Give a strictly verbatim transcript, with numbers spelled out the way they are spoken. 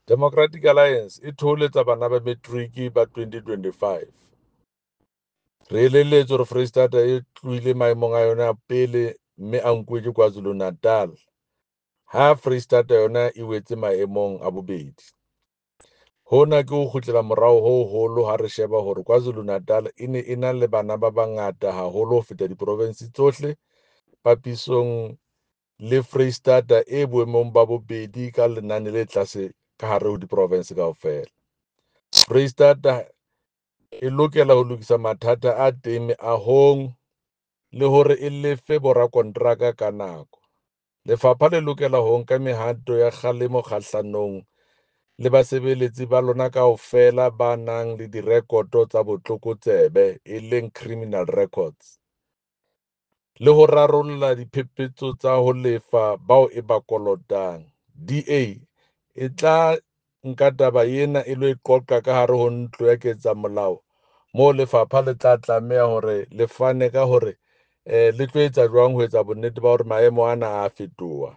Democratic Alliance e thoholetsa bana ba Metriki ba twenty twenty-five. Re elelletswe hore Foreisetata e tlohile maemong a yona a pele mme a nkuwe ke KwaZulu-Natal, ha Foreisetata yona e wetse maemong a bobedi. Hona ke ho kgutlela morao ho hoholo ha re sheba hore KwaZulu-Natal e ne e na le bana ba bangata haholo ho feta diprovense tsohle papisong le Foreisetata e boemong ba bobedi ka lenane le tlase ka hare ho diprovense kaofela. Foreisetata e lokela ho lokisa mathata a teng meahong le hore e lefe borakonteraka ka nako. Lefapha le lokela ho nka mehato ya kgalemo kgahlanong le basebeletsi ba lona kaofela ba nang le direkoto tsa botlokotsebe e leng criminal records, le ho rarolla diphephetso tsa ho lefa bao e ba kolotang. D A e tla nka taba ena e lo e qoqa ka hare ho ntlo ya ketsamolao moo lefapha le tla tlameha hore le fane ka hore eh le tlo etsa jwang ho etsa bonnete ba hore maemo ana a fetoha.